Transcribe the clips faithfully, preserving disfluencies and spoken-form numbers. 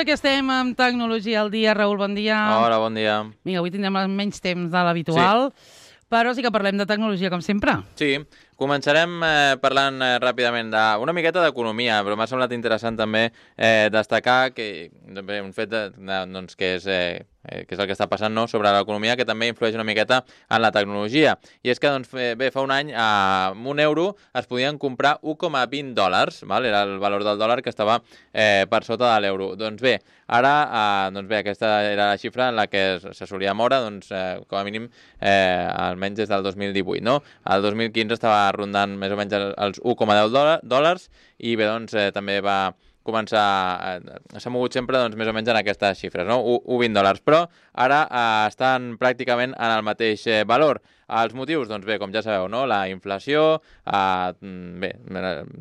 que estem amb Tecnologia al dia. Raül, bon dia. Hola, bon dia. Vinga, avui tindrem menys temps de l'habitual, sí. Però sí que parlem de tecnologia, com sempre. Sí, començarem eh, parlant eh, ràpidament d'una miqueta d'economia, però m'ha semblat interessant també eh, destacar que bé, un fet de, de, doncs, que, és, eh, que és el que està passant, no?, sobre l'economia, que també influeix una miqueta en la tecnologia. I és que, doncs, bé, fa un any, eh, amb un euro es podien comprar u coma vint dòlars, val? Era el valor del dòlar que estava eh, per sota de l'euro. Doncs bé, ara, eh, doncs bé, aquesta era la xifra en la que se solia moure, doncs, eh, com a mínim, eh, almenys des del dos mil divuit, no? El dos mil quinze estava rondant més o menys els u coma deu dòlars i bé, doncs, eh, també va començar, eh, s'ha mogut sempre doncs, més o menys en aquestes xifres, no? u coma vint dòlars, però ara eh, estan pràcticament en el mateix eh, valor. Els motius, doncs bé, com ja sabeu, no? La inflació, eh, bé,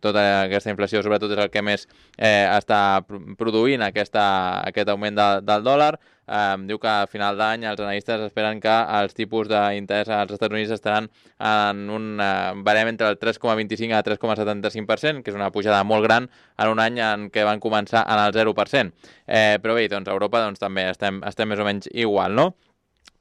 tota aquesta inflació sobretot és el que més eh, està produint aquesta, aquest augment de, del dòlar. Eh, diu que a final d'any els analistes esperen que els tipus d'interès als Estats Units estaran en un eh, barem entre el tres coma vint-i-cinc a tres coma setanta-cinc per cent, que és una pujada molt gran en un any en què van començar en el zero per cent. Eh, però bé, doncs a Europa doncs, també estem, estem més o menys igual, no?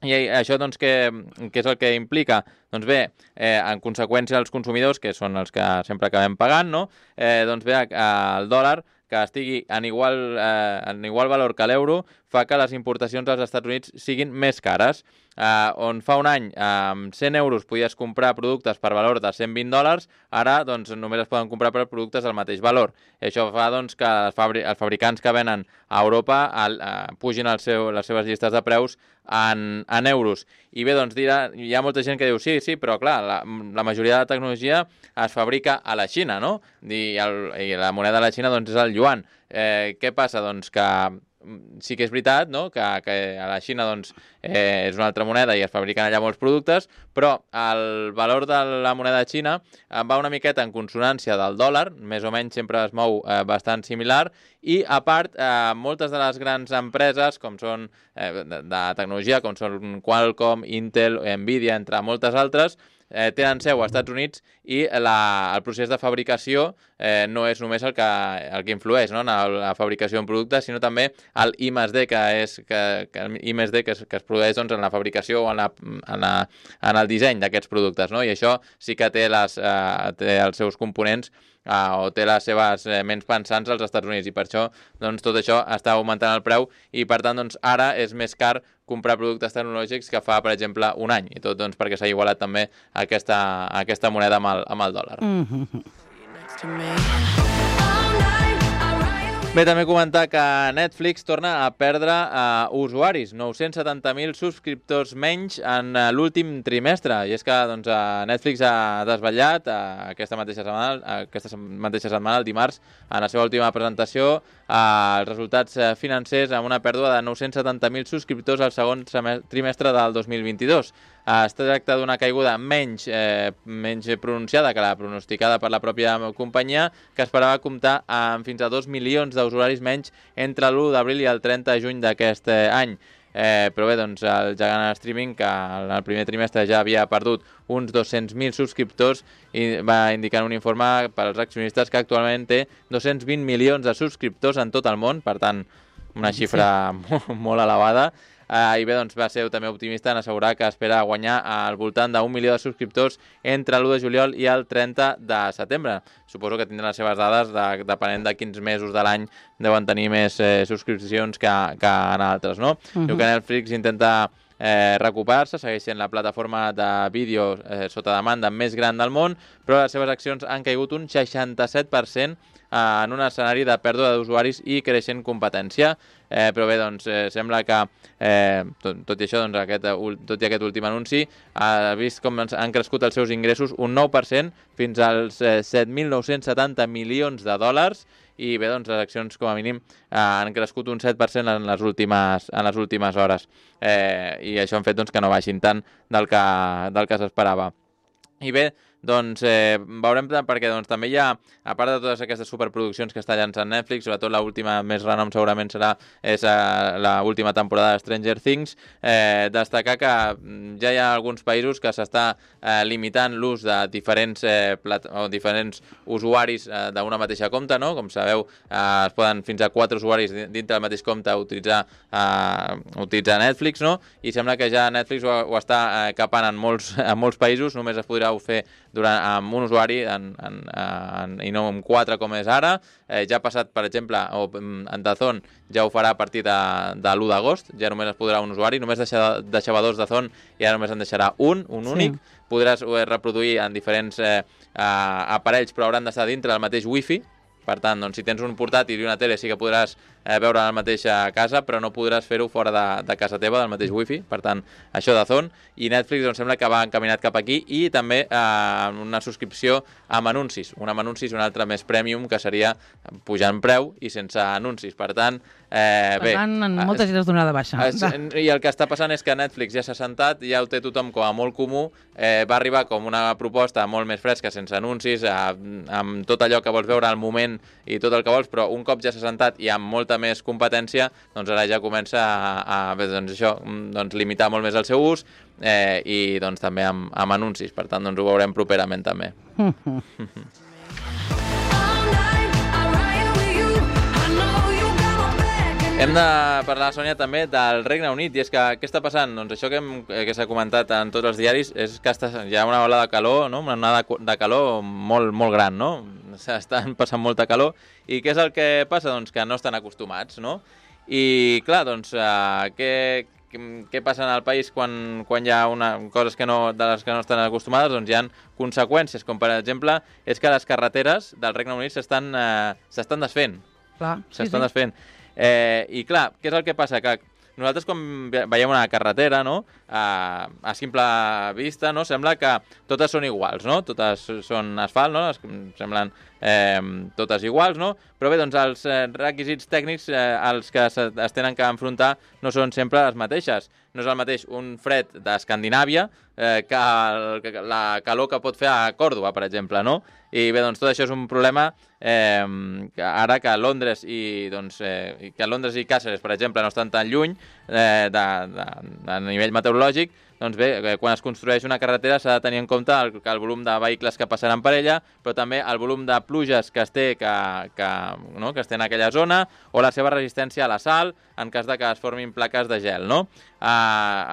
I això, doncs, què, què és el que implica? Doncs bé, eh, en conseqüència els consumidors, que són els que sempre acabem pagant, no? eh, doncs bé, el dòlar, que estigui en igual, eh, en igual valor que l'euro, fa que les importacions als Estats Units siguin més cares. Eh, on fa un any amb cent euros podies comprar productes per valor de cent vint dòlars, ara doncs, només es poden comprar per productes del mateix valor. I això fa doncs, que els, fabri els fabricants que venen a Europa el, eh, pugin el seu, les seves llistes de preus en, en euros. I bé, doncs dirà, hi ha molta gent que diu sí, sí, però clar, la, la majoria de la tecnologia es fabrica a la Xina, no? I, el, i la moneda de la Xina doncs, és el yuan. Eh, què passa? Doncs que sí que és veritat, no?, que, que a la Xina doncs, eh, és una altra moneda i es fabriquen allà molts productes, però el valor de la moneda xina va una miqueta en consonància del dòlar, més o menys sempre es mou eh, bastant similar, i a part, eh, moltes de les grans empreses com són eh, de, de tecnologia, com són Qualcomm, Intel, Nvidia, entre moltes altres, Eh, tenen seu als Estats Units i la, el procés de fabricació eh, no és només el que, el que influeix, no?, en la fabricació d'un producte, sinó també el I més D, que és que, que, I més D que, es, que es produeix doncs, en la fabricació o en, la, en, la, en el disseny d'aquests productes, no? I això sí que té, les, eh, té els seus components Uh, o té les seves eh, ments pensants als Estats Units, i per això doncs, tot això està augmentant el preu i per tant doncs, ara és més car comprar productes tecnològics que fa, per exemple, un any, i tot doncs, perquè s'ha igualat també aquesta, aquesta moneda amb el, amb el dòlar. Mm-hmm. Bé, també comentar que Netflix torna a perdre uh, usuaris, nou-cents setanta mil subscriptors menys en uh, l'últim trimestre, i és que doncs, uh, Netflix ha desvetllat uh, aquesta, mateixa setmana, uh, aquesta mateixa setmana, el dimarts, en la seva última presentació, uh, els resultats uh, financers amb una pèrdua de nou-cents setanta mil subscriptors al segon trimestre del dos mil vint-i-dos. Uh, es tracta d'una caiguda menys, eh, menys pronunciada que la pronosticada per la pròpia companyia, que esperava comptar amb fins a dos milions d'usuaris menys entre l'u d'abril i el trenta de juny d'aquest eh, any. Eh, però bé, doncs, el gegant en streaming, que en el primer trimestre ja havia perdut uns dos-cents mil subscriptors, i va indicar un informe per als accionistes que actualment té dos-cents vint milions de subscriptors en tot el món, per tant, una xifra sí. molt, molt elevada. Uh, I bé, doncs va ser també optimista en assegurar que espera guanyar al voltant d'un milió de subscriptors entre l'u de juliol i el trenta de setembre. Suposo que tindran les seves dades de, depenent de quins mesos de l'any deuen tenir més eh, subscripcions que, que en altres, no? Uh-huh. Diu que Netflix intenta eh, recuperar-se, segueix sent la plataforma de vídeo eh, sota demanda més gran del món, però les seves accions han caigut un seixanta-set per cent en un escenari de pèrdua d'usuaris i creixent competència. Eh, però bé, doncs, eh, sembla que eh, tot, tot i això, doncs, aquest, tot i aquest últim anunci, ha vist com han crescut els seus ingressos un nou per cent fins als eh, set mil nou-cents setanta milions de dòlars, i bé, doncs, les accions com a mínim eh, han crescut un set per cent en les últimes, en les últimes hores, eh, i això han fet doncs, que no baixin tant del que, del que s'esperava. I bé, doncs eh, veurem, perquè doncs, també hi ha, a part de totes aquestes superproduccions que està llançant Netflix, sobretot l'última més renom segurament serà és eh, l'última temporada de Stranger Things, eh, destacar que ja hi ha alguns països que s'està eh, limitant l'ús de diferents, eh, plat o diferents usuaris eh, d'una mateixa compte, no? Com sabeu, eh, es poden fins a quatre usuaris dintre del mateix compte utilitzar, eh, utilitzar Netflix, no? I sembla que ja Netflix ho, ho està eh, capant en molts, en molts països, només es podrà fer durant, amb un usuari en, en, en, i no amb quatre com és ara. Eh, ja ha passat, per exemple, o, en Dazón ja ho farà a partir de, de l'u d'agost, ja només es podrà un usuari, només deixava, deixava dos Dazón i ara només en deixarà un, un únic. Sí. Podràs reproduir en diferents eh, aparells, però hauran d'estar dintre del mateix wifi. Per tant, doncs, si tens un portàtil i una tele sí que podràs eh, veure la mateixa casa, però no podràs fer-ho fora de, de casa teva, del mateix wifi. Per tant, això de Zone. I Netflix doncs, sembla que va encaminat cap aquí i també eh, una subscripció amb anuncis. Un amb anuncis i un altre més premium, que seria pujant preu i sense anuncis. Per tant, eh, per bé... tant, en moltes és donada baixa. Es, I el que està passant és que Netflix ja s'ha sentat, ja ho té tothom com a molt comú, eh, va arribar com una proposta molt més fresca, sense anuncis, eh, amb tot allò que vols veure al moment i tot el que vols, però un cop ja s'ha sentat i amb molta més competència, doncs ara ja comença a, a bé, doncs això, doncs limitar molt més el seu ús eh, i doncs també amb, amb anuncis, per tant doncs ho veurem properament també. Hem de parlar, Sònia, també del Regne Unit, i és que què està passant? Doncs això que, hem, que s'ha comentat en tots els diaris és que està, hi ha una ola de calor, no? Una onada de calor molt, molt gran, no? S'estan passant molta calor, i què és el que passa? Doncs que no estan acostumats, no? I clar, doncs, eh, què, què passa en el país quan, quan hi ha una, coses que no, de les que no estan acostumades? Doncs hi ha conseqüències, com per exemple, és que les carreteres del Regne Unit s'estan eh, s'estan desfent. Clar, sí, s'estan sí. desfent. Eh, I clar, què és el que passa? Que nosaltres quan veiem una carretera, no? A, a simple vista, no? Sembla que totes són iguals, no? Totes són asfalt, no? Es, semblen eh, totes iguals, no? Però bé, doncs els eh, requisits tècnics eh, als que es, es tenen que enfrontar no són sempre les mateixes. No és el mateix un fred d'Escandinàvia eh, que, el, que la calor que pot fer a Còrdova, per exemple, no? I bé, doncs tot això és un problema eh, que ara que Londres i doncs eh, que Londres i Càceres, per exemple, no estan tan lluny eh, de, de, de nivell meteorològic, doncs bé, quan es construeix una carretera s'ha de tenir en compte el, el volum de vehicles que passaran per ella, però també el volum de pluges que es té que, que, no? que es té en aquella zona, o la seva resistència a la sal, en cas de que es formin plaques de gel, no? A,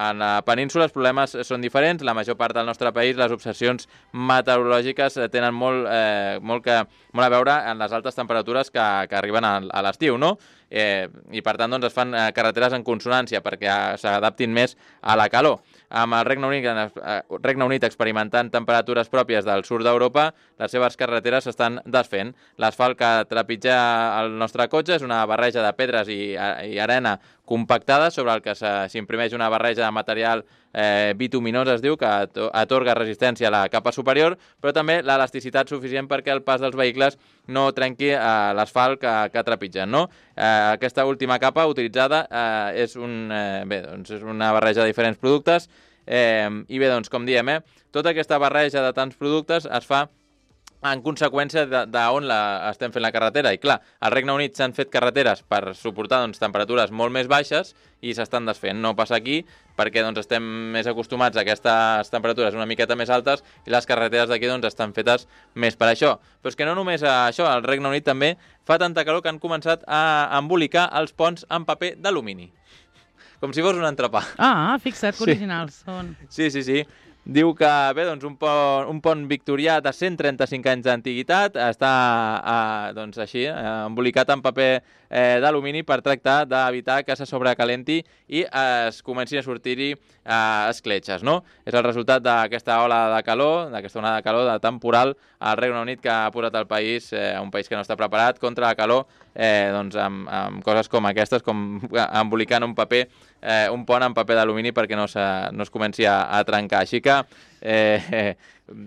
a la península els problemes són diferents. La major part del nostre país, les obsessions meteorològiques tenen molt, eh, molt, que, molt a veure en les altes temperatures que, que arriben a, a l'estiu, no? Eh, I per tant doncs, es fan eh, carreteres en consonància perquè s'adaptin més a la calor. Amb el Regne Unit, eh, Regne Unit experimentant temperatures pròpies del sud d'Europa, les seves carreteres s'estan desfent. L'asfalt que trepitja el nostre cotxe és una barreja de pedres i, i arena compactada sobre el que s'imprimeix una barreja de material eh, bituminós, es diu, que atorga resistència a la capa superior, però també l'elasticitat suficient perquè el pas dels vehicles no trenqui eh, l'asfalt que, que trepitgen, no? Eh, aquesta última capa utilitzada eh, és, un, eh, bé, doncs és una barreja de diferents productes eh, i bé, doncs com diem, eh, tota aquesta barreja de tants productes es fa en conseqüència d'on estem fent la carretera. I clar, al Regne Unit s'han fet carreteres per suportar doncs, temperatures molt més baixes i s'estan desfent. No passa aquí perquè doncs, estem més acostumats a aquestes temperatures una miqueta més altes i les carreteres d'aquí doncs, estan fetes més per això. Però és que no només això, al Regne Unit també fa tanta calor que han començat a embolicar els ponts en paper d'alumini. Com si fos un entrepà. Ah, fixa't, que originals són. Sí, sí, sí. Diu que, bé, doncs, un pont, un pont victorià de cent trenta-cinc anys d'antiguitat està, eh, doncs, així, eh, embolicat en paper eh, d'alumini per tractar d'evitar que se sobrecalenti i es comencin a sortir-hi eh, escletxes, no? És el resultat d'aquesta ola de calor, d'aquesta onada de calor de temporal al Regne Unit que ha posat el país, eh, un país que no està preparat contra la calor, eh, doncs, amb, amb coses com aquestes, com embolicant un paper, eh, un pont en paper d'alumini perquè no, se, no es comenci a, a trencar. Així que eh, eh,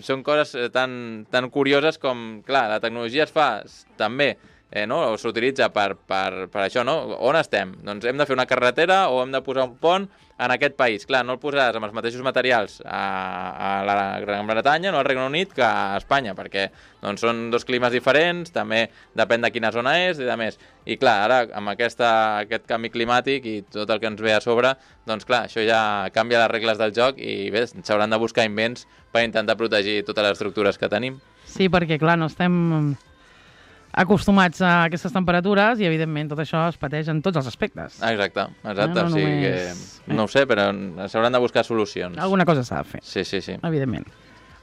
són coses tan, tan curioses com, clar, la tecnologia es fa també eh, no? s'utilitza per, per, per això, no? On estem? Doncs hem de fer una carretera o hem de posar un pont en aquest país. Clar, no el posaràs amb els mateixos materials a, a la Gran Bretanya, no al Regne Unit, que a Espanya, perquè doncs, són dos climes diferents, també depèn de quina zona és i de més. I clar, ara, amb aquesta, aquest canvi climàtic i tot el que ens ve a sobre, doncs clar, això ja canvia les regles del joc i bé, s'hauran de buscar invents per intentar protegir totes les estructures que tenim. Sí, perquè clar, no estem acostumats a aquestes temperatures i, evidentment, tot això es pateix en tots els aspectes. Exacte, exacte. No, no o sigui només... que, no ho sé, però s'hauran de buscar solucions. Alguna cosa s'ha de fer. Sí, sí, sí. Evidentment.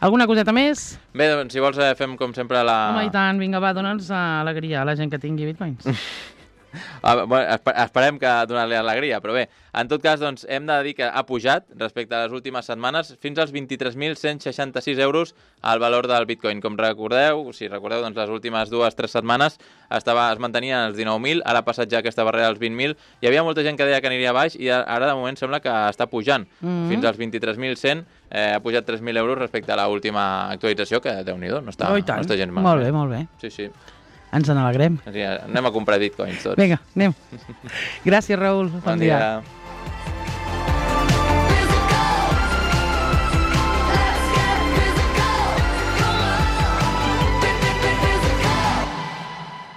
Alguna coseta més? Bé, doncs, si vols, eh, fem com sempre la... Home, i tant, vinga, va, dona'ns alegria a la gent que tingui bitcoins. Ah, bueno, esperem que donar-li alegria, però bé, en tot cas, doncs, hem de dir que ha pujat respecte a les últimes setmanes fins als vint-i-tres mil cent seixanta-sis euros al valor del Bitcoin. Com recordeu, si recordeu, doncs, les últimes dues o tres setmanes estava, es mantenia als dinou mil, ara ha passat ja aquesta barrera als vint mil. Hi havia molta gent que deia que aniria baix i ara, de moment, sembla que està pujant. Mm-hmm. Fins als vint-i-tres mil cent, eh, ha pujat tres mil euros respecte a l'última actualització, que, Déu-n'hi-do, no està, oh, no està gens mal. Molt bé, molt bé. Sí, sí. Ens n'alegrem. Anem a comprar bitcoins tots. Vinga, anem. Gràcies, Raül. Bon, bon dia. dia.